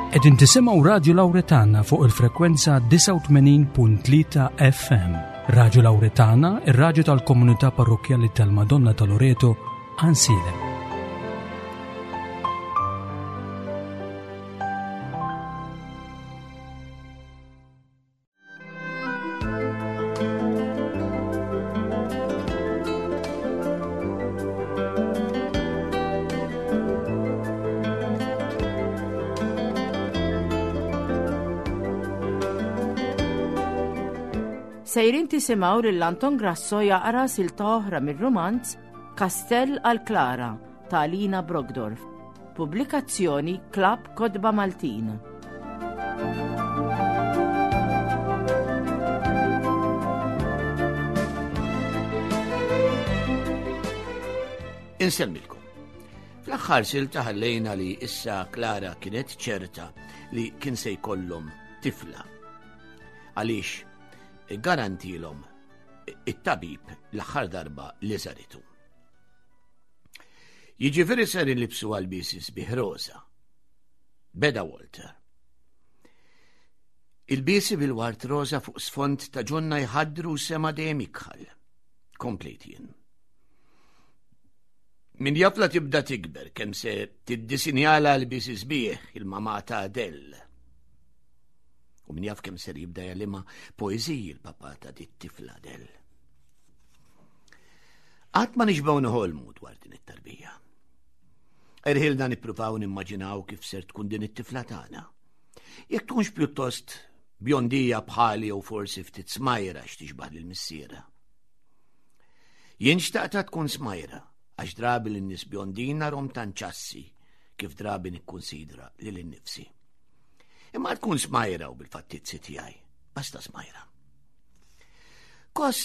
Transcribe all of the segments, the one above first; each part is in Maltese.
Qegħdin tisimgħu Radju Lawretana fuq il-frekwenza 89.3 FM. Radju Lawretana, ir-radju tal-komunità parrokkjali tal-Madonna ta' Loreto, Ansilem. Sejrin tisimgħu lil Anton Grasso jaqra silta oħra mir-rumanz Kastell għal Klara ta' Alina Brogdorf. Pubblikazzjoni Klabb Kotba Maltin. Insemmilkom. Fl-aħħar silta ħallejna li issa Klara kienet ċerta li kien se jkollhom tifla. Għaliex garantilhom it-tabib l-aħħar darba li żaritu. Jiġifieri ser inlibsu għal-biesi sbieħ roża. Beda Walter. Il-biesi bil-wart roża fuq sfond ta' ġonna jħaddru sema dejjem ikħal. Komplejt jien. Min jaf la tibda tikber kemm se tiddisinjala l-biesi sbieħ il-mamà ta' Adele. U min jaf kemm ser jibda jalima poeżiji l-papà ta' dit tifla Adele. Qatt ma nixbgħu noħolmu dwar din it-tarbija. Erħilna nippruvaw nimmaġinaw kif ser tkun din it-tifla tagħna. Jekk tkunx pjuttost bjondija bħali jew forsi ftit smajra x'tixbah lil missiera. Jien xtaqta tkun smajra għax drabi lin nies bjondin narhom tanċassi kif drabi nikkunsidra lil innifsi. Imma tkun smajra u bil-fattizzi tiegħi, basta smajra. Kos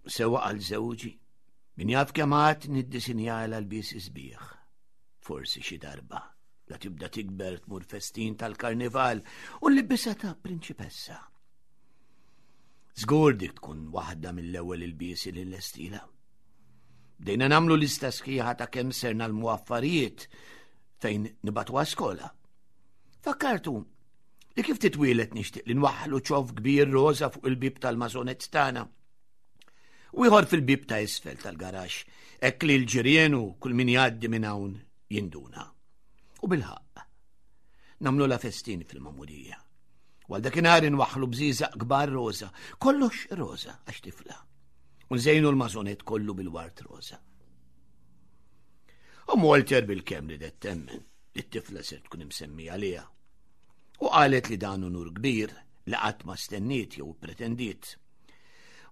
sewa għal żewġi Min jaf kemm għad niddisinjala l-bies isbieħ. Forsi xi darba, la tibda tikber tmur festin tal-karnival u l-libisa ta' prinċipessa. Żgur dik tkun waħda mill-ewwel il-biesi li l-estila. Bdejna namlu lista sħiħa ta' kemm ser nalmu affarijiet fejn nibatu skola. Fakkartu li kif titwielet nixtieq li nwaħħlu ċof kbir roża fuq il-bib tal-mażonet tagħna. U ieħor fil-bib ta' isfel tal-garax, hekk li l-ġirien u kull min jgħaddi minn hawn jinduna. U bilħaqq, nagħmlu la festin fil-mamudija. Għal dakinhar inwaħħlu bżieżaq kbar roża, kollox roża għax tifla. U nżejnu l-mażonet kollu bil-wart roża. U Walter bil-kemm li temmen li t-tifla ser tkun imsemmija għaliha. U qalet li dan unur kbir li qatt ma stenniet jew pretendiet.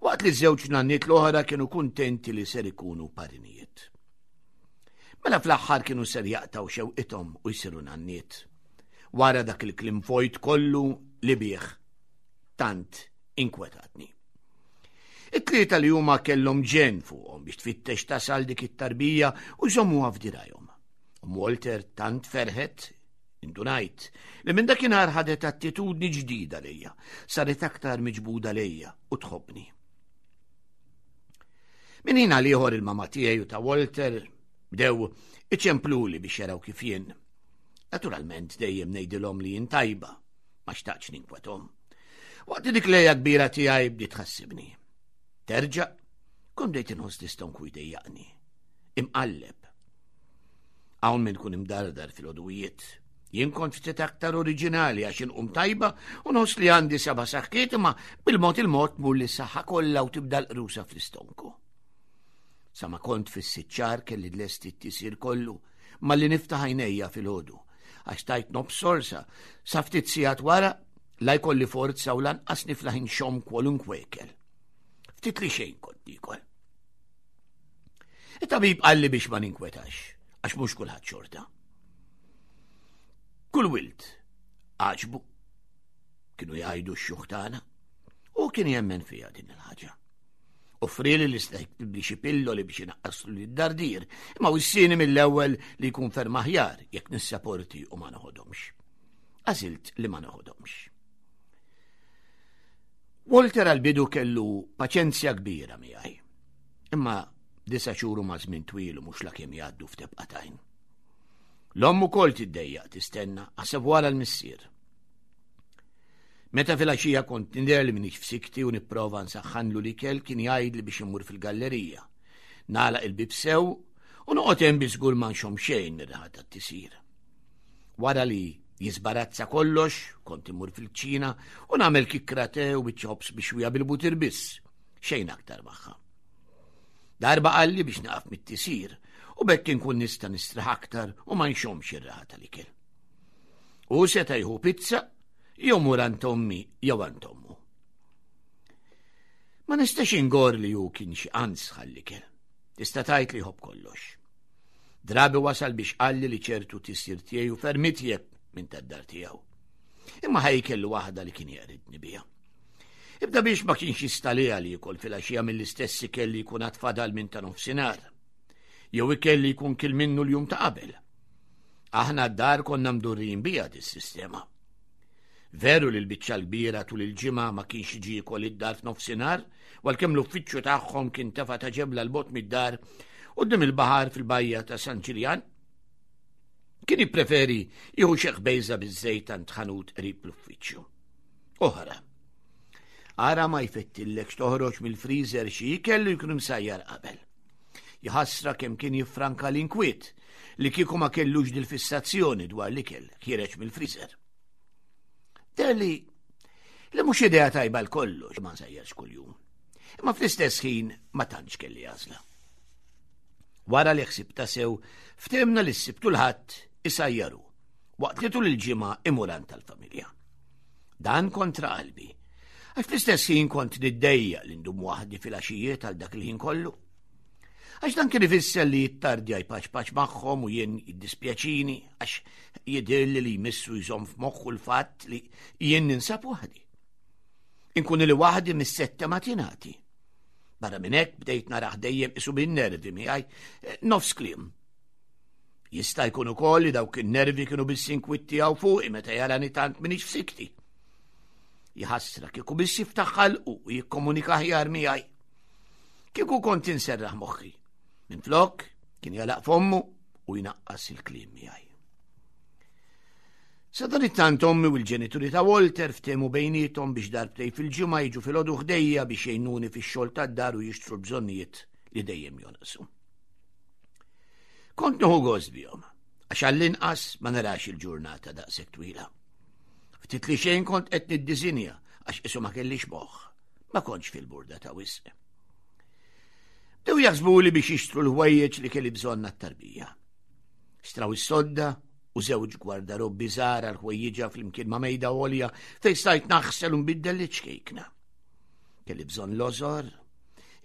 Waqt li żewġ nanniet l-oħra kienu kuntenti li ser ikunu parinijiet. Mela fl-aħħar kienu ser jaqtaw xewqithom u jsiru nanniet. Wara dak il-klim vojt kollu li bih tant inkwetatni. It-tlieta li huma kellhom ġen fuqhom biex tfittex tasal dik it-tarbija u jżommuha f'dirajhom. U Walter tant ferħet Indunajt li minn dakinhar ħadet attitudni ġdida lejja, saret aktar miġbuda lejja u tħobbni. Min ħin għal ieħor il-mama tiegħi u ta' Walter bdew iċempluli biex jaraw kif jien. Naturalment dejjem ngħidilhom li jien tajba, ma xtaqx ninkwethom. Waqt dik lejja kbira tiegħi bdiet tħassibni. Terġa' kont bdejt inħoss l-istonku jdejjaqni. Imqalleb. Hawn min kun imdardar fil-għoduwijiet. Jien kont ftit aktar oriġinali għax inqum tajba u nħoss li għandi seba' saħħiet imma bil-mod il-mod tmur li saħħa kollha u tibda l-qrusa fl-istonku. Sa ma kont fis-siċċar kelli lesti t-tisir kollu malli niftaħ għajnejja fil-ħodu għax tajt nobs sorsa sa ftit sigħat wara la jkolli forza u lanqas niflaħ inxomm kwalunkwe ikel. Ftit li xejn kont nikol. It-tabib qalli biex ma ninkwetax, għax mhux kulħadd xorta. Kull wild għaġbu kienu jgħidu x-xjuħ tagħna u kien jemmen fiha din il-ħaġa. Offrili li sta jiktibli xi pilloli biex inaqqaslu li d-dardir, imma wissini mill-ewwel li jkun ferm aħjar jekk nissaporti u ma noħodhomx. Għażilt li ma noħodhomx. Walter għal-bidu kellu paċenzja kbira miegħi. Imma disa xhur huma żmien twil u mhux lakemm jgħaddu f'tebqa tajn. L-omm ukoll tiddejjaq tistenna, aħseb wara l-missier. Meta filgħaxija kont nidher li m'iniex f'sikti u nipprova nsaħħanlu l-ikel kien jgħidli biex immur fil-gallerija. Nagħlaq il-bieb sew u noqgħod hemm biex żgur ma nxomm xejn mir-riħa tat-tisir. Wara li jiżbarazza kollox, kont immur fil-kċina u nagħmel kikkra te u biċċa ħobż bixwija bil-butir biss, xejn aktar magħha. Darba qalli biex naqaf mit-tisir u bekk inkun nista' nistraħ aktar u ma nxommx ir-raħa tal-ikel. U seta' jieħu pizza jew mur għand ommi jew għand ommu. Ma nistax ingor li hu kien xi qans ħall-ikel. Tista' tgħid li jħobb kollox. Drabi wasal biex qalli li ċertu tisir tiegħi u ferm itjeb minn tad-dar tiegħu. Imma ħaj kellu waħda li kien jeqridni biha. Ibda biex ma kienx jistaliha li jikol filgħaxija mill-istess ikel li jkun għad fadal minn ta' nofsinhar. Jew ikel li jkun kil minnu l-jum ta' qabel. Aħna d-dar konna mdurrijin biha dis-sistema. Veru li l-biċċa l-kbira tul il-ġimgħa ma kienx jiġi jikol id-dar f'nofsinhar, għalkemm l-uffiċċju tagħhom kien tefa' ta' ġebla l-bot mid-dar quddiem il-baħar fil-bajja ta' San Ġiljan. Kien jippreferi jieħu xi ħbejża biż-żejt għand ħanut qrib l-uffiċċju. Oħra. Ara ma jfettillekx toħroġ mill-freezer xi ikel li jkun imsajjar qabel. Jħassra kemm kien jiffranka l-inkwiet li kieku ma kellux dil-fissazzjoni dwar l-ikel ħiereġ mill-freezer. Terli li mhux idea tajba l-kollox ma nsajjarx kuljum. Imma fl-istess ħin ma tantx kelli għażla. Wara li ħsibta sew, ftemna li s-Sibt u l-Ħadd isajjaru, waqt li tul il-ġimgħa imur għand tal-familja. Dan kontra qalbi, għax fl-istess ħin kont niddejjaq li ndum waħdi fil-għaxijiet għal dak il-ħin kollu. Għax dan kien ifisser li jittardja jpaċpaċ magħhom u jien jiddispjaċini għax jidhirli li jmissu jżomm f'moħħu l-fatt li jien ninsab waħdi. Inkun li waħdi mis-sette matinati. Barra minn hekk bdejt naraħ dejjem isu bin-nervi miegħi eh, nofs kliem. Jista' jkun ukoll li dawk in-nervi kienu biss inkwiet tiegħu fuqi meta jarani tant minix f'sikti. Jħassra kieku biss jiftaħ ħalqu u jikkomunika aħjar miegħi. Kieku kont inserraħ moħħi. Minflok kien jalaq fommu u jnaqqas il-kliem miegħi. Sadanittant ommi u l-ġenituri ta' Walter ftehmu bejniethom biex darbtejn fil-ġimgħa jiġu filgħodu ħdejja biex jgħinuni fix-xogħol tad-dar u jixtru l-bżonnijiet li dejjem jonqsu. Kont nieħu gost bihom, għax għall-inqas ma narax il-ġurnata daqshekk twila. Ftit li xejn kont qed niddiżinja għax qisu ma kellix moħħ, ma kontx fil-burda ta' wisq. Bdew jaħsbuli biex jixtru l-ħwejjeġ li kelli bżonn għat-tarbija. Xtraw is-sodda u żewġ gwardarobbi żgħar għal ħwejjiġha flimkien ma' mejda għolja fejn stajt naħsel u nbiddel liċ-ċkejkna. Kelli bżonn lożor,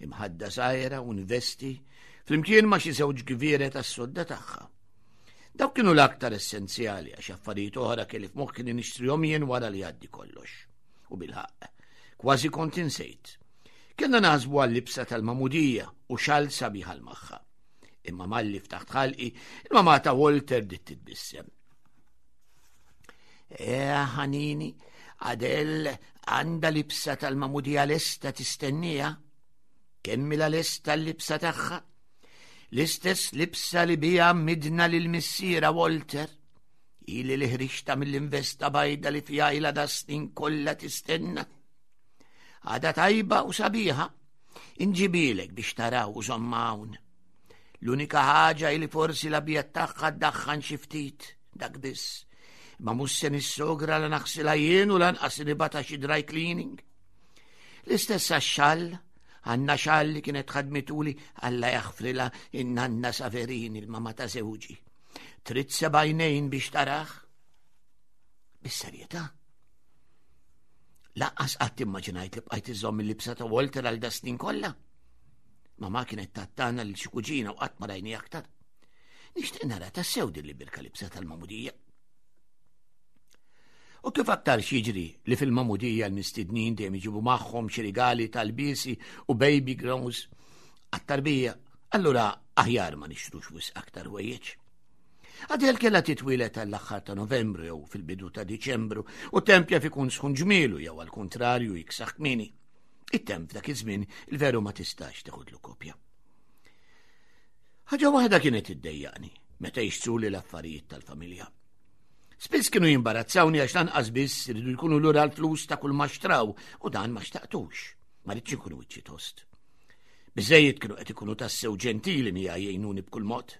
imħadda żgħira u nvesti flimkien ma' xi żewġ gvieret għas-sodda tagħha. Dawk kienu l-aktar essenzjali għax affarijiet oħra kelli f'moħħi li nixtrihom jien wara li jgħaddi kollox. U bilħaqq, kważi kont insejt. Kellna naħsbu għal-libsa tal-magħmudija u xal sabiħ għal magħha. Imma malli ftaħt ħalqi, il-mamà ta' Walter bdiet titbissem. Eh, ħanini, Adel għandha libsa tal-mamudija lesta tistennija. Kemm la lesta l-libsa tagħha? L-istess libsa li bija midna lil missiera Walter. Ili li ħriġta mill-investa bajda li fija ila da snin kollha tistenna. Għada tajba u sabiħa. Inġibilek biex taraw u żomma hawn. L-unika ħaġa li forsi l-abjad tagħha ddaħħan xi ftit, dak biss. Ma mhux se nissogra la naħsilha jien u lanqas nibata xi dry cleaning. L-istess għax-xall, għandna xall li kienet ħadmituli Alla jaħfrilha in-nanna Saverini l-mama ta' żewġi. Trid sebajnejn biex taraħ? Bis-serjetà. Laqqas qatt immaġinajt li bqajt iżomm il-libsa ta' Walter għal da snin kollha. Mama kienet tattana lil xi kuġina u qatt ma rajni aktar. Nixtieq nara tassew din li birka libsa tal-mamudija. U kif aktar jiġri li fil-mamudija l-mistednin dejjem iġibu magħhom xi rigali tal-biesi u baby grows għat-tarbija, allura aħjar ma nixtrux wisq aktar ħwejjeġ. Adel kellha titwieled għall-aħħar ta' Novembru jew fil-bidu ta' Diċembru u temp jaf ikun sħun ġmielu jew għall-kuntrarju jiksaħ kmieni. It-temp f'dak iż-żmien il-veru ma tistax teħodlu kopja. Ħaġa waħda kienet iddejjaqni meta jixtruli l-affarijiet tal-familja. Spiss kienu jimbarazzawni għax lanqas biss iridu jkunu lura l-flus ta' kull ma xtraw u dan ma xtaqtux. Ma ridx ikun wiċċi tost. Biżejjed kienu qed ikunu tassew ġentili miegħi jgħinuni b'kull mod.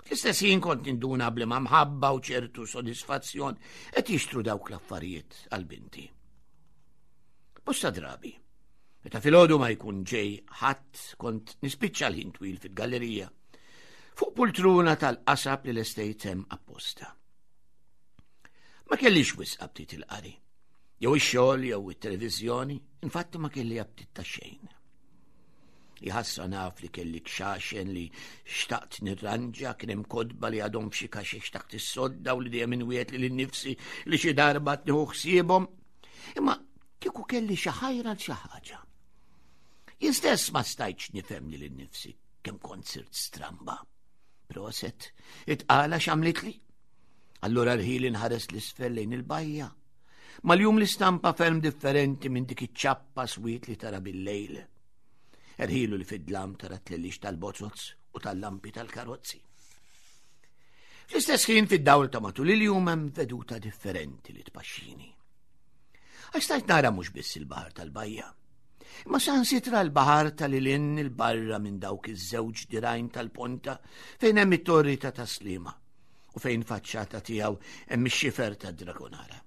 Fl-istess ħin kont ninduna bli ma mħabba u ċertu sodisfazzjon qed jixtru dawk l-affarijiet għal binti. Bosta drabi, meta filgħodu ma jkun ġej ħadd kont nispiċċa l-ħin twil fil-gallerija fuq pultruna tal-qasab li l-estate hemm apposta. Ma kellix wisq aptit il-qari, jew ix-xogħol jew it-televiżjoni, infatti ma kelli aptit ta' xejn. Jħassa naf li kelli kxaxen li xtaqt nirranġa, kien hemm kodba li għadhom f'xi kaxex taħt is-sodda u li dejjem inwiet li nnifsi li xi darba tnieħu ħsiebhom. Imma kieku kelli xi ħajra l xi ħaġa. Jien stess ma stajtx nifhem li nnifsi kemm kont sirt stramba. Proset, itqala x'għamlitli. Allura rħili nħares l-isfel lejn il-bajja. Mal-jum l-istampa ferm differenti minn dik iċ-ċappa swiet li tara bil-lejl. Erħilu li fid-dlam tara tlellix tal-bozoz u tal-lampi tal-karozzi. Fl-istess ħin fid-dawl ta' matul il-jum hemm veduta differenti li tpaxxini. Għax stajt nara mhux biss il-baħar tal-bajja, imma sansitra l-baħar tal-ilin il-barra minn dawk iż-żewġ dirajn tal-ponta fejn hemm it-torri ta' taslima u fejn faċċata tiegħu hemm ix-xifer ta' Dragonara.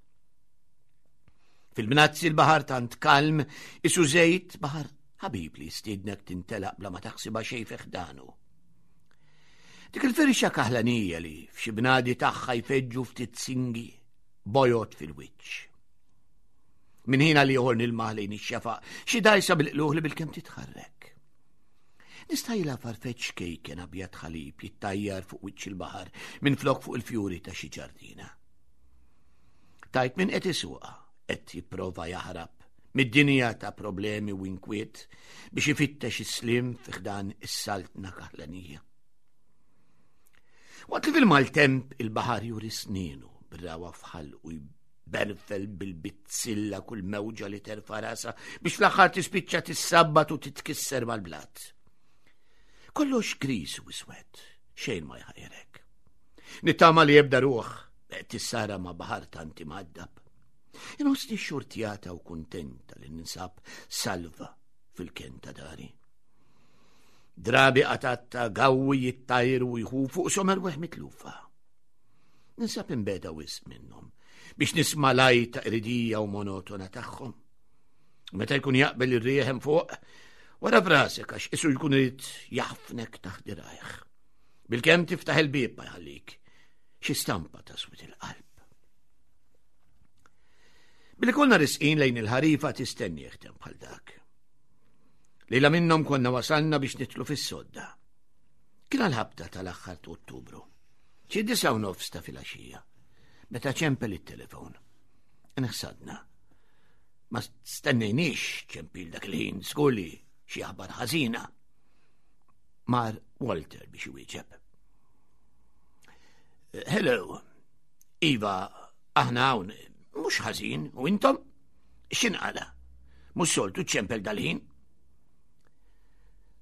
Fil-bnazzi l-baħar tant kalm, isu żejt baħar ħabib li jistiednek tintelaq bla ma taħsibha xejn fi ħdanu. Dik il-firxa kaħlanija li f'xi bnadi tagħha jfeġġu ftit singi bojot fil-wiċċ. Min ħin għal ieħor nilmaħ lejn ix-xefaq xi dajsa bil-qluħ li bil-kemm titħarrek. Nistajla farfeċ kejken abjad ħalib jittajjar fuq wiċċ il-baħar minn flok fuq il-fjuri ta' xi ġardina. Tajt min qed isuqha qed jipprova jaħrab mid-dinja ta' problemi u inkwiet biex ifittex is-slim fi ħdan is-saltna kaħlanija. Waqt li fil-maltemp il-baħar juri snienu bir-rawa fħal u berfel bil-bizzilla kull mewġa li terfa' rasa biex fl-aħħar tispiċċa tissabbat u titkisser mal-blat. Kollox gris u iswed, xejn ma jħajrek. Nittama li jebda ruħ tissara ma' baħar tanti maddab. Inħossni xurtjata u kuntenta li ninsab salva fil-ken ta' dari. Drabi qatatta gawwi jittajru u jħu fuq somer weħ mitlufa. Ninsab imbeda wisq minnhom biex nisma' lajta qridija u monotona tagħhom. Meta jkun jaqbel ir-rieħ hemm fuq, wara frasek għax isu jkun irid jaħfnek taħt dirajh. Bilkemm tiftaħ il-bieb ma jħallik. Xi stampa ta' swit il-qalb. Billi konna risqin lejn il-ħarifa tistenni jeħtem bħal dak. Lejla minnhom konna wasalna biex nitlu fis-sodda. Kien għal-ħabta tal-aħħar ta' Ottubru. Xi 9:30 ta' filgħaxija. Meta ċempel it-telefon. Nħsadna. Ma stennejniex ċempil dak il-ħin, żgur li xi aħbar ħażina. Mar Walter biex iwieġeb. Hello, Iva, aħna hawn, mhux ħażin, u intom? X'inqala? Mhux soltu ċempel dal-ħin?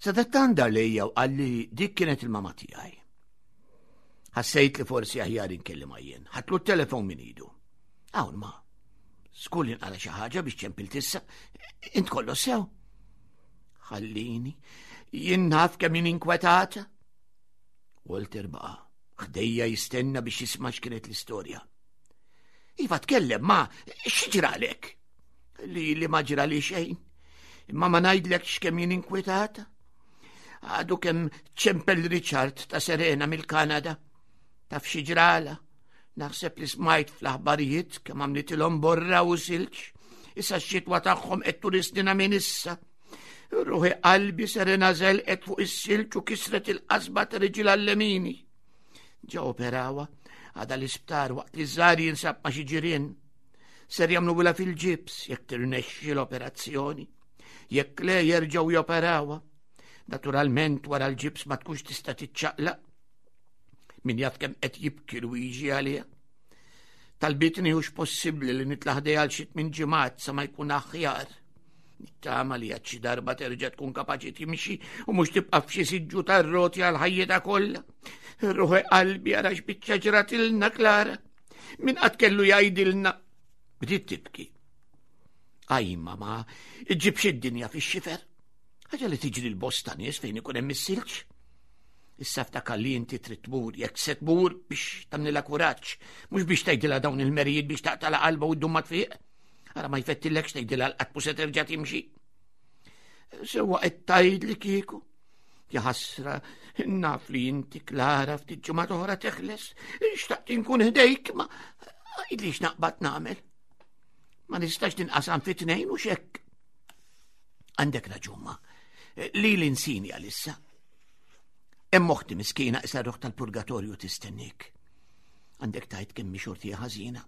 Sadattan dar lejja u qalli dik kienet il-mama tiegħi. Ħassejt li forsi aħjar inkellimha jien. Ħatlu t-telefon minn idu. Hawn ma. Skur li nqala xi ħaġa biex ċempil tissa. Int kollu sew. Ħallini, jien naf kemm jien inkwetata. Walter baqa' ħdejja jistenna biex jisma' x'kienet l-istorja. Iva tkellem ma xi ġralek? Li li ma ġrali xejn. Imma ma ngħidlekx kemm jien inkwetata. Għadu kemm ċempel Richard ta' Serena mill-Kanada. Taf xi ġrala. Naħseb li smajt fl-aħbarijiet kemm għamlitilhom borra u silġ. Issa x-xitwa tagħhom qed turistina minn issa. Ruħi qalbi Serena żelqet fuq is-silġ u kisret il-qasba ta' riġilha l-lemini. Ġa operawa għada l-isptar waqt li żgħar jinsab ma' xi ġirien. Ser jagħmlu fil-ġibs jekk tirnexxi l-operazzjoni. Jekk le jerġgħu joperawha. Naturalment wara l-ġibs ma tkunx tista' tiċċaqlaq. Min jaf kemm qed jibki Luigi għaliha. Talbitni hux possibbli li nitla' ħdej għal xi tmien ġimgħat sa ma jkun aħjar. Nittama li għad xi darba terġa' tkun kapaċi timxi u mhux tibqa' f'xi siġġu tar-roti għal ħajjitha kollha. Ruħi qalbi ara x'biċċa ġratilna Klara. Min qatt kellu jgħidilna. Bdiet tibki. Aj, mama, iġġibx id-dinja fix-xifer. Ħaġa li tiġri l-bosta nies fejn ikun hemm is-silġ. Issa ftakar li inti trid tmur, jekk se tmur biex tagħmlilha kuraġġ, mhux biex tgħidilha dawn il-merijiet biex taqtala qalba u ddum ma tfiq. Ara ma jfettillekx tgħidilha l-qatt mhux se terġa' timxi. Sewwa qed tgħidli kieku. Jaħasra, naf li inti Klara ftit ġimgħa oħra teħles, xtaqt inkun ħdejk, ma għidli x'naqbad nagħmel. Ma nistax tinqasam fi tnejn u xekk. Għandek raġun ma. Li l-insini għalissa. Hemm oħti miskina issa ruħ tal-purgatorju tistennik. Għandek tajt kemm xorti ħażina.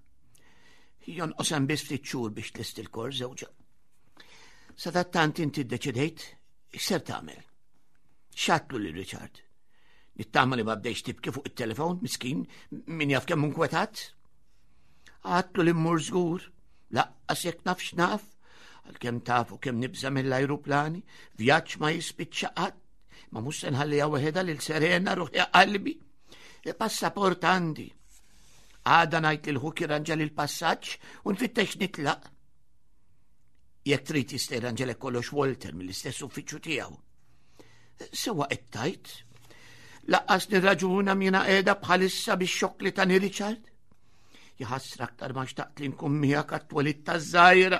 Jonqos hemm biss ftit xhur biex tlest il-kor żewġa. Sadattant inti ddeċidejt x'ser tagħmel. X'għadtlu lil Richard? Nittama li ma bdejx tibki fuq it-telefon, miskin, min jaf kemm inkwetat. Għadtlu li mmur żgur, laqqas jekk naf x'naf, għalkemm tafu kemm nibża mill-ajruplani, vjaġġ ma jispiċċa qatt, ma mhux se nħalliha weħedha lil Serena ruħi qalbi. E passaport għandi. Għada ngħid lil ħuk jirranġa lil passaġġ u nfittex nitlaq. Jekk trid jista' jirranġalek kollox Walter mill-istess uffiċċju tiegħu. Sewa qed tajt. Laqqas nirraġuna mina qiegħda bħalissa bix-xokk li tani Richard. Jaħasra aktar ma xtaqt li nkun miegħek għat-twelid taż-żgħira.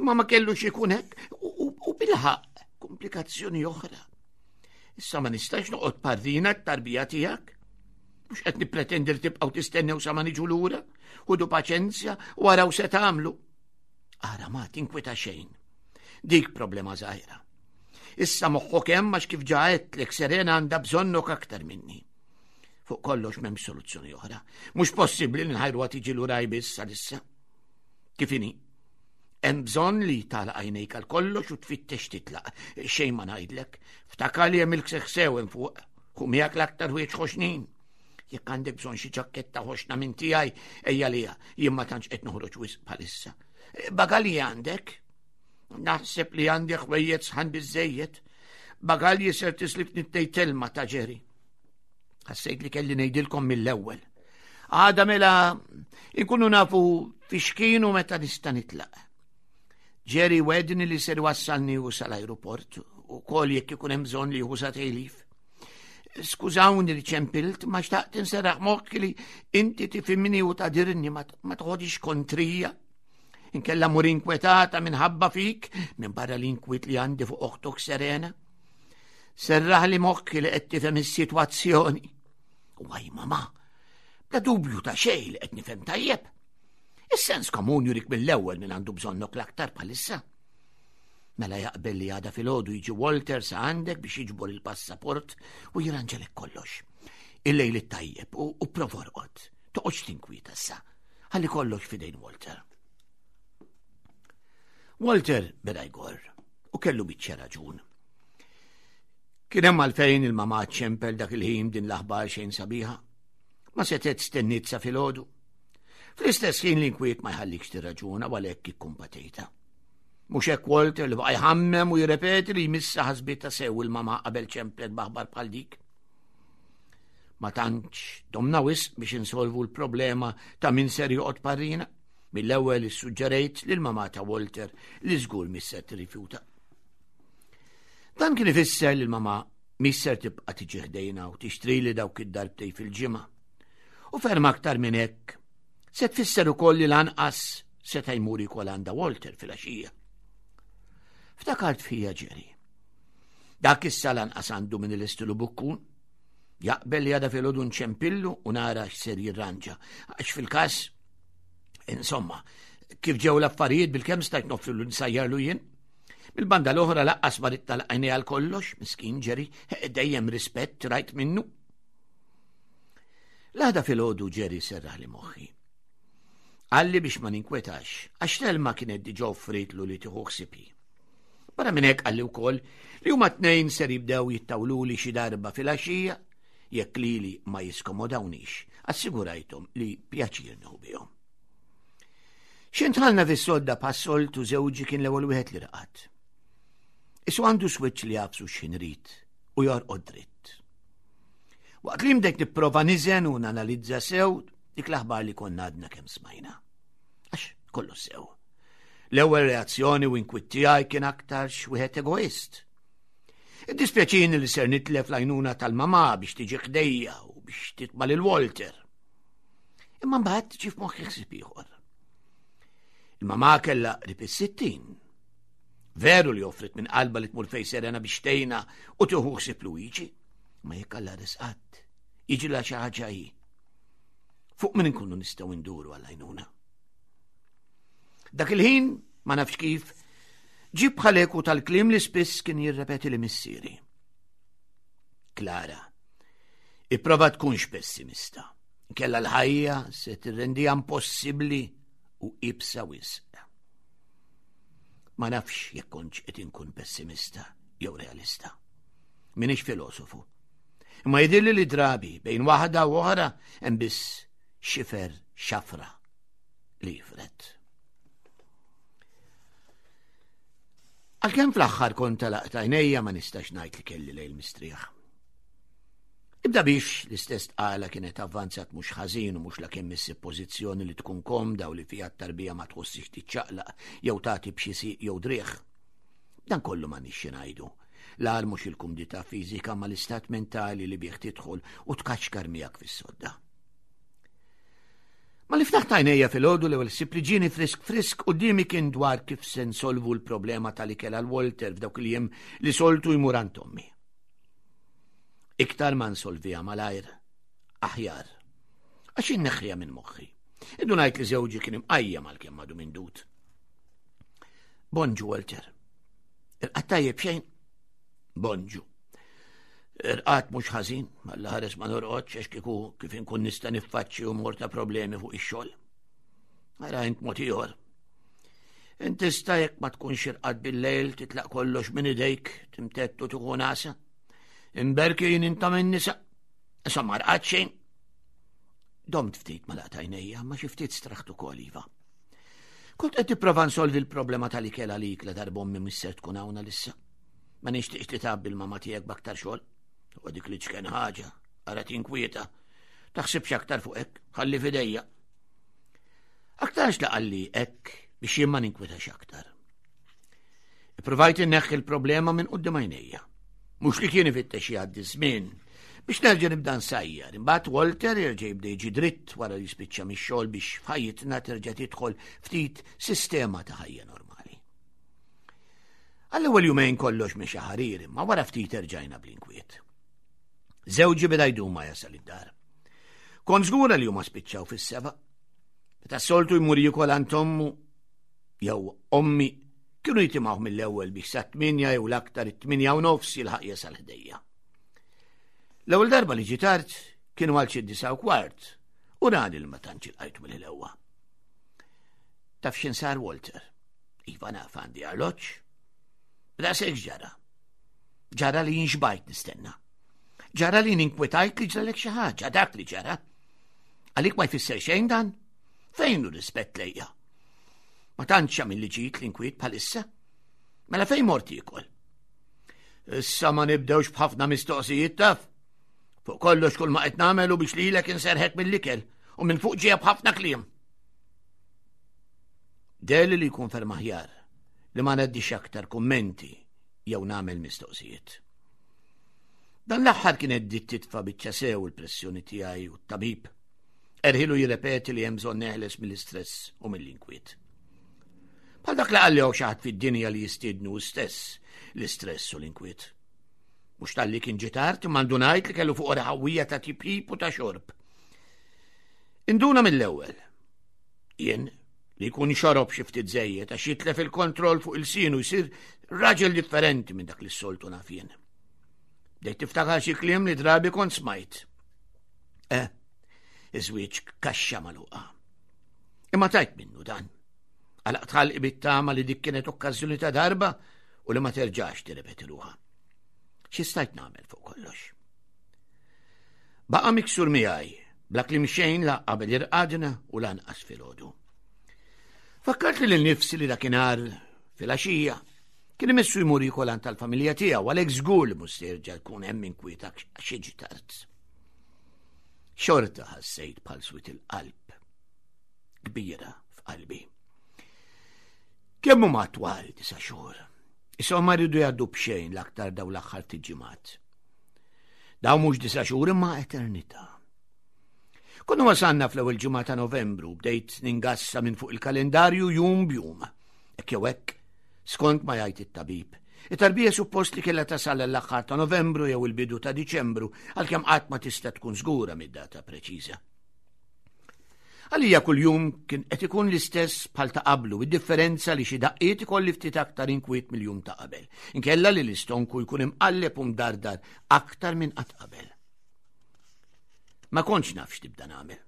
Imma ma kellux ikun hekk u bilħaq komplikazzjoni oħra. Issa ma nistax noqgħod parrina t-tarbija tiegħek. Mhux qed nippretendi li tibqgħu tistennew sa ma niġu lura, ħudu paċenzja u araw se tagħmlu. Ara ma tinkwita xejn. Dik problema żgħira. Issa moħħok hemm għax kif ġa għedtlek Serena għandha bżonnok aktar minni. Fuq kollox m'hemmx soluzzjoni oħra. Mhux possibbli li nħajruha tiġi lura biss għalissa. Kif inhi? Hemm bżonn li tagħlaq għajnejk għal kollox u tfittex titlaq. Xejn ma ngħidlek. Ftakar li hemm il-kseħ sew hemm fuq. Hu miegħek l-aktar ħwieġ ħoxnin. Jekk għandek bżonn xi ġakketta ħoxna minn tiegħi, ejja lija, jien ma tantx qed noħroġ wisq bħalissa. Bagalji għandek? Naħseb li għandi ħwejjed sħan biżejjed. Bagalji ser tislif nittej telma ta' ġeri. Ħassejt li kelli ngħidilkom mill-ewwel. Għada mela inkunu nafu fiex kienu meta nista' nitlaq. Ġeri wedni li ser wassalni u sal-ajruport u kol jekk ikun hemm bżonn li jieħu sa tejlif. Skużawni li ċempilt, ma xtaqt inserraħ moħħi li inti tifhimni u tadirni ma tħodix kontrija. Inkella mur inkwetata minħabba fik, minn barra l-inkwiet li għandi fuq oħtok Serena. Serraħ li moħħi li qed tifhem is-sitwazzjoni. Waj mama, bla dubju ta' xejn li qed nifhem tajjeb. Is-sens komun jurik mill-ewwel minn għandu bżonnok l-aktar bħalissa. Mela jaqbel li għada filgħodu jiġi Walter sa għandek biex jiġbor il-passaport u jirranġalek kollox. Il-lejl it-tajjeb u, u provorqod. Toqgħodx tinkwieta issa. Ħalli kollox fidejn Walter. Walter beda jgorr u kellu biċċa raġun. Kien hemm għalfejn il-mama ċempel dak il-ħin din l-aħbar xejn sabiħa. Ma setet stenniet sa filgħodu. Fl-istess ħin l-inkwiet ma jħallikx tirraġuna u għalhekk ikkumpatejta. Mhux hekk Walter li baqa' jħammem u jirrepeti li jmissa ħasbita sew il-mama qabel ċemplet b'aħbar bħal dik. Ma tantx domna wisq biex insolvu l-problema ta' min ser joqgħod parrina. Mill-ewwel issuġġerejt lil mama ta' Walter li żgur mhix ser tirrifjuta. Dan kien ifisser li l-mama mhix ser tibqa' tiġi ħdejna u tixtrili dawk id-darbtej fil-ġimgħa. U ferm aktar minn hekk, se tfisser ukoll li lanqas seta' jmur jkol għandha Walter fil-għaxija. Ftakart fija Ġeri. Dak issa lanqas għandu minn il-istilu bukkun. Jaqbel li għada fil-ħodu nċempillu u nara x'ser jirranġa. Għax fil-kas, insomma, kif ġew l-affarijiet bil-kemm stajt noffrilu nsajjarlu jien. Bil-banda l-oħra laqqas ma rid tal-għajni għal kollox, miskin ġeri, dejjem rispett rajt minnu. L-għada fil-ħodu ġeri serraħ li moħħi. Qalli biex ma ninkwetax, għax Telma kienet diġa offritlu li tieħu ħsibi. Barra minn hekk qalli wkoll li huma tnejn ser jibdew jittawluli xi darba fil-għaxija jekk lili ma jiskomodawniex, assigurajthom li pjaċir nieħu bihom. Xintħalna fis-sodda bħas-soltu żewġi kien l-ewwel wieħed li raqad. Isu għandu switch li jafsu x'ħin rid u jorqod dritt. Waqt li mdejt nipprova niżen u nanalizza sew. Dik l-aħbar li konna għadna kemm smajna. Għax kollu sew. L-ewwel reazzjoni u inkwiet tiegħi kien aktar wieħed egoist. Iddispjaċini li ser nitlef l-għajnuna tal-mamà biex tiġi ħdejja u biex titma' lil Walter. Imma mbagħad ġie f'moħħi ħsieb ieħor. Il-mamà kellha qrib is-60. Veru li offrit minn qalba li tmur fej Serena biex tgħinha u tieħu ħsieb Luigi, ma jekk Alla risqatt, jiġi la xi ħaġa hi. Fuq min inkunu nistgħu nduru għall-għajnuna. Dak il-ħin, ma nafx kif, ġib bħaleku tal-klim li spiss kien jirrepeti li missieri. Klara, ipprova tkunx pessimista. Kella l-ħajja se tirrendija impossibbli u ibsa wisq. Ma nafx jekk kontx qed inkun pessimista jew realista. Minix filosofu. Imma jidhirli li drabi bejn waħda u oħra hemm biss xifer xafra li jifred. Għalkemm fl-aħħar kont talaqt għajnejja ma nistax ngħid li kelli lejl mistrieħ. Ibda biex l-istess tqala kienet avvanzat mhux ħażin u mhux la kemm issib pożizzjoni li tkun komda u li fiha t-tarbija ma tħossix tiċċaqlaq jew tagħti b'xi sieq jew driegħ. Dan kollu ma nixxi ngħidu. L-agħar mhux il-kumdità fiżika ma l-istat mentali li bih tidħol u tkaxkar miegħek fis-sodda. Ma li ftaħt għajnejja fil-ħodu l-ewwel ħsieb li ġieni frisk frisk quddiemi kien dwar kif se nsolvu l-problema tal-ikel għal Walter f'dawk il-jiem li soltu jmur għand ommi. Iktar ma nsolviha malajr, aħjar. Għax inneħħiha minn moħħi. Indunajt li żewġi kien imqajjem għalkemm għadu mindut. Bonġu, Walter. Irqad tajjeb xejn? Bonġu. Irqad mhux ħażin, alla ħares ma norqodx għax kieku kif inkun nista' niffaċċi u mor ta' problemi fuq ix-xogħol. Ara int mod ieħor. Int tista' jekk ma tkunx irqad bil-lejl titlaq kollox minn idejk, timtettu tieħu nasa. Imberki jien inta minn nisa. Insomma rqad xejn. Domt ftit ma laqtajnejja, ma xi ftit straħtu ukoll iva. Kont qed tipprova nsolvi l-problema tal-ikel għalik la darbommi mhux ser tkun hawn għalissa. Ma nixtieqx li tgħabbi l-mama tiegħek b'aktar xogħol. U dik li ċken ħaġa, ara tinkwieta. Taħsibx aktar fuq hekk, ħalli fidejja. Aktarx li qalli hekk biex jien ma ninkwetax aktar. Ippruvajt inneħħi l-problema minn quddiem għajnejja. Mhux li kien ifittex jgħaddi żmien biex nerġa' nibda nsajjar. Imbagħad Walter jerġa' jibda jiġi dritt wara li jispiċċa mix-xogħol biex f'ħajjitna terġa' tidħol ftit sistema ta' ħajja normali. Għall-ewwel jumejn kollox mexa ħarir, imma wara ftit erġajna bl-inkwiet. Żewġi beda jdum ma jasal id-dar. Kont żgura li huma spiċċaw fis-seba'. Meta soltu jmur jikol għand ommu jew ommi kienu jitimgħu mill-ewwel biex sa tminja jew l-aktar it-tminja u nofs jilħaq jasal ħdejja. L-ewwel darba li ġie tard kienu għal xi disa u kwart u rani li ma tantx ilqajtu mill-ewwa. Taf x'in sar Walter? Iva naf għandi arloġġ. Daqshekk ġara. Ġara li jinxbajt nistenna. Ġara li ninkwetajt li ġralek xi ħaġa, dak li ġara. Għalik ma jfisser xejn dan? Fejn hu rispett lejja? Ma tantx għamil li ġid l-inkwiet bħalissa. Mela fejn mort jiekol? Issa ma nibdewx b'ħafna mistoqsijiet taf. Fuq kollox kull ma qed nagħmel u biex lilek inserħek mill-ikel u minn fuq ġejja b'ħafna kliem. Deli li jkun ferm aħjar li ma ngħaddix aktar kummenti jew nagħmel mistoqsijiet. Dan l-aħħar kienet bdiet titfa' biċċa sew il-pressjoni tiegħi u t-tabib. Erħilu jirrepeti li hemm bżonn neħles mill-istress u mill-inkwiet. Bħal dak li qalli xi ħadd fid-dinja li jistiednu stess l-istress u l-inkwiet. Mhux talli kien ġie tard, imma ndunajt li kellu fuq ħawwija ta' tipjip u ta' xorb. Induna mill-ewwel. Jien li jkun xorob xi ftit żejjed għax jitlef il-kontroll fuq il-sinu jsir raġel differenti minn dak li s-soltu naf jien. Bdejt tiftakar xi kliem li drabi kont smajt. Eh, iż-żwieġ kaxxa magħluqa. Imma tajt minnu dan. Għalaqt ħalqi bit-tama li dik kienet okkażjoni ta' darba u li ma terġax tirrepeti ruħha. Xi stajt nagħmel fuq kollox? Baqa' miksur miegħi, bla kliem xejn la qabel irqadna u lanqas filgħodu. Fakkart li l-nifsi li dakinhar filgħaxija kien imissu jmur jikol għand tal-familja tiegħu għalhekk żgur li mhux se jerġa' jkun hemm inkwiet għax jiġi tard. Xorta ħassejt bħal swit il-qalb kbira f'qalbi. Kemm huma twal disa' xhur. Isom ma rridu jgħaddu b'xejn l-aktar daw l-aħħar tiġimgħat. Daw mhux disa' xhur imma eternità. Konna wasalna fl-ewwel ġimgħa ta' Novembru bdejt ningassa minn fuq il-kalendarju jum b'jum. Hekk jew hekk, skont ma jgħid it-tabib. It-tarbija suppost li kellha tasal l-aħħar ta' Novembru jew il-bidu ta' Diċembru għalkemm qatt ma tista' tkun żgura mid-data preċiża. Għalija kuljum kien qed ikun l-istess bħal ta' qablu, id-differenza li xi daqqiet ikolli ftit aktar inkwiet mill-jum ta' qabel. Inkella li l-istonku jkun imqalleb u mdardar aktar minn qatt qabel. Ma kontx naf x'tibda nagħmel.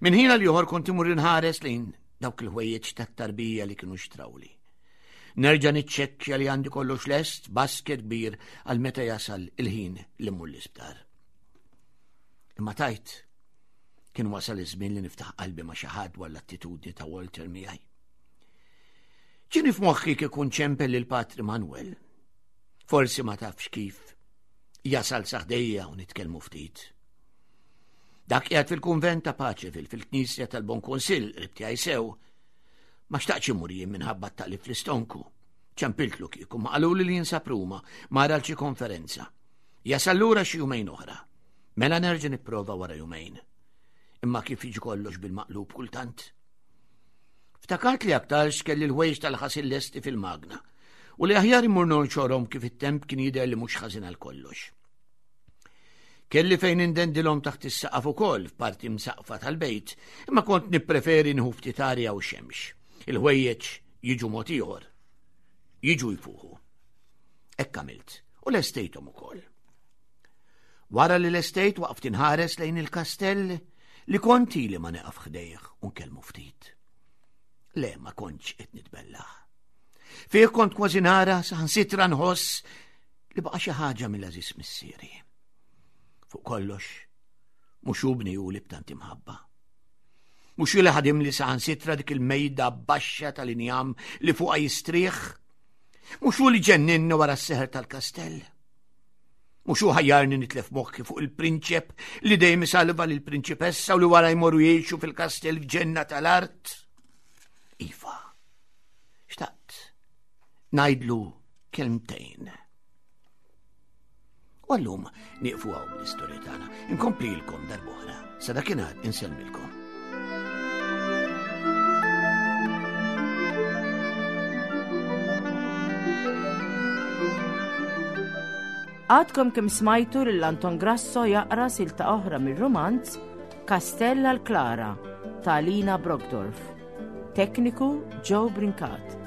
Minn ħin għal ieħor kont imur inħares lejn dawk il-ħwejjeġ tat-tarbija li kienu xtrawli. Nerġa' niċċekkja li għandi kollox lest basket kbir għal meta jasal il-ħin li mmur l-isptar. Imma tajt, kien wasal iż-żmien li niftaħ qalbi ma' xi ħadd dwar l-attitudni ta' Walter miegħi. Ġieni f'moħħi kieku nċempel lil Patri Manuel. Forsi ma tafx kif jasal saħdejja u nitkellmu ftit. Dak qiegħed fil-kunvent ta' Paċevil fil-Knisja tal-Bon Kunsill qrib tiegħi sew. Ma xtaqx imur jien minħabba t-taqlib fl-istonku. Ċempiltlu kieku ma qaluli li jinsab Ruma mara xi konferenza. Jasal lura xi jumejn oħra. Mela nerġa' nipprova wara jumejn. Imma kif jiġi kollox bil-maqlub kultant. Ftakart li aktarx kelli l-ħwejjeġ tal-ħasil lesti fil-magna u li aħjar immur nonxorhom kif it-temp kien jidher li mhux ħażin għal kollox. Kelli fejn indendilhom taħt is-saqaf ukoll f'parti msaqfa tal-bejt, imma kont nippreferi nħu ftit arja u xemx. Il-ħwejjeġ jiġu mod ieħor. Jiġu jfuħu. Hekk għamilt u lestejthom ukoll. Wara li lestejt waqft inħares lejn il-kastell li kont ili ma neqaf ħdejh u nkellmu ftit. Le, ma kontx qed nitbellaħ. Fih kont kważi nara saħansitra nħoss li baqa' xi ħaġa mill-għażiż missieri. Fuq kollox, mhux hu bni li b'tant imħabba. Mhux hu li ħadim li saħansitra dik il-mejda baxxa tal-injam li fuqha jistrieħ. Mhux hu li ġenninni wara s-seħer tal-kastell. Mhux hu ħajjarni nitlef moħħi fuq il-prinċep li dejjem isalva lil prinċipessa u li wara jmorru jgħixu fil-kastell f'ġenna tal-art. Iva, xtaqt ngħidlu kelmtejn. U għallum nieqfu għaw bl-istorja tagħna. Inkomplilkom darb'oħra. Sa dakinhar insellmilkom. Għadkom kemm smajtu lil Anton Grasso jaqra silta oħra mir-rumanz Kastell għal Klara ta' Lina Brockdorf. Tekniku Joe Brincat.